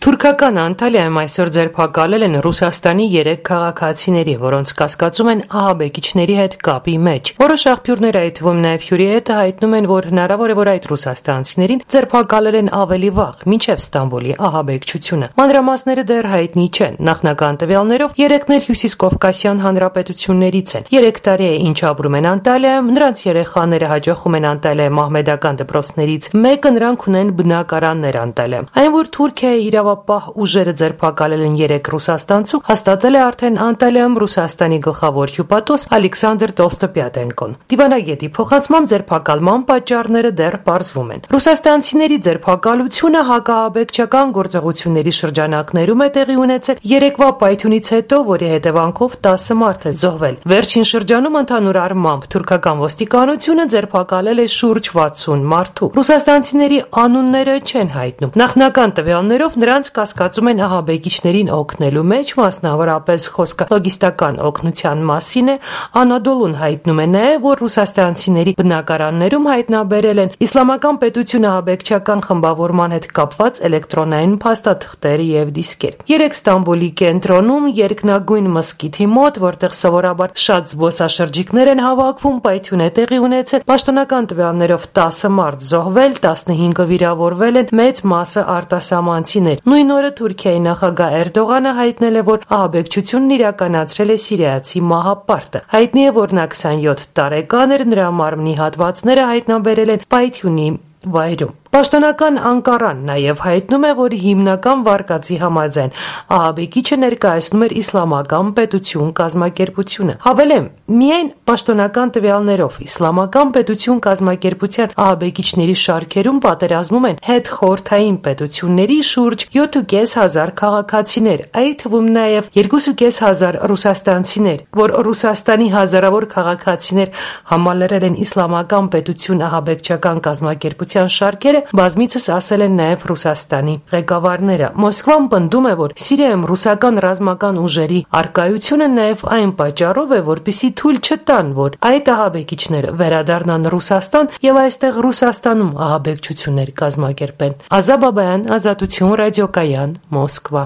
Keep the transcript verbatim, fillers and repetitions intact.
Թուրքական Անտալիայում այսօր ձերբակալել են Ռուսաստանի երեք քաղաքացիների, որոնց կասկածում են ահաբեկիչների հետ կապի մեջ։ Որոշ աղբյուրներ, այդ թվում նաև Հյուրիետը, հայտնում են, որ հնարավոր է, որ այդ ռուսաստանցիներին ձերբակալել են ավելի վաղ, մինչև Ստամբուլի ահաբեկչությունը։ Մանրամասները դեռ հայտնի չեն։ Նախնական տվյալներով երեքն էլ Հյուսիսկովկասյան հանրապետություններից են։ Երեք տարի է, ինչ ապրում են Անտալիայում, նրանց երեխաները հաճախում են Անտալիայի մահմեդական դպրոցներից մեկը, նրանք ունեն բնակարաններ Անտալիայում։ Այն, որ Թուրքիայի իրավապահ ուժերը ձերբակալել են երեք ռուսաստանցու, հաստատել է արդեն Անտալիայում Ռուսաստանի գլխավոր հյուպատոս Ալեքսանդր Տոլստոպյատենկոն։ Դիվանագետի փոխանցմամբ ձերբակալման պատճառները դեռ պարզվում են։ Ռուսաստանցիների ձերբակալությունը հակաահաբեկչական գործողությունների շրջանակներում է տեղի ունեցել երեկվա պայթյունից հետո, որի հետևանքով տասը մարդ է զոհվել։ Վերջին շրջանում ընդհանուր առմամբ թուրքական ոստիկանությունը ձերբակալել է շուրջ վաթսուն մարդու։ Ռուսաստանցիների անունները չեն հայտնում։ Նախնական տվյալներով նրանց կասկածում են ահաբեկիչներին օգնելու մեջ, մասնավորապես խոսքը լոգիստական օգնության մասին է։ Անադոլուն հայտնում է նաև, որ ռուսաստանցիների բնակարաններում հայտնաբերել են իսլամական պետություն ահաբեկչական խմբավորման հետ կապված էլեկտրոնային փաստաթղթեր եւ դիսկեր։ Երեք Ստամբուլի կենտրոնում երկնագույն մզկիթի մոտ, որտեղ սովորաբար շատ զբոսաշրջիկներ են հավաքվում, պայթյուն է տեղի ունեցել։ Պաշտոնական տվյալներով տասը մարդ զոհվել, տասնհինգը վիրավորվել են, մեծ մասը արտասահմանցիներ։ Նույն օրը Թուրքիայի նախագահ Էրդողանը հայտնել է, որ ահաբեկչությունն իրականացրել է սիրիացի մահապարտը։ Հայտնի է, որ նա քսանյոթ տարեկան էր, նրա մարմնի հատվածները հայտնաբերել են պայթյունի վայրում։ Պաշտոնական Անկարան նաև հայտնում է, որ հիմնական վարկածի համաձայն ահաբեկիչը ներկայացնում էր իսլամական պետություն կազմակերպությունը։ Հավելեմ, միայն պաշտոնական տվյալներով իսլամական պետություն կազմակերպության ահաբեկիչների շարքերում պատերազմում են հետխորհրդային պետությունների շուրջ յոթ ու կես հազար քաղաքացիներ, այդ թվում նաև երկու ու կես հազար ռուսաստանցիներ, որ Ռուսաստանի հազարավոր քաղաքացիներ համալրել են իսլամական պետություն ահաբեկչական կազմակերպության շարքերը, բազմիցս ասել են նաև Ռուսաստանի ղեկավարները։ Մոսկվան պնդում է, որ Սիրիայում ռուսական ռազմական ուժերի առկայությունը նաև այն պատճառով է, որպեսզի թույլ չտան, որ այդ ահաբեկիչները վերադառնան Ռուսաստան եւ այստեղ Ռուսաստանում ահաբեկչություններ կազմակերպեն։ Ազա Բաբայան, Ազատություն, ռադիոկայան, Մոսկվա։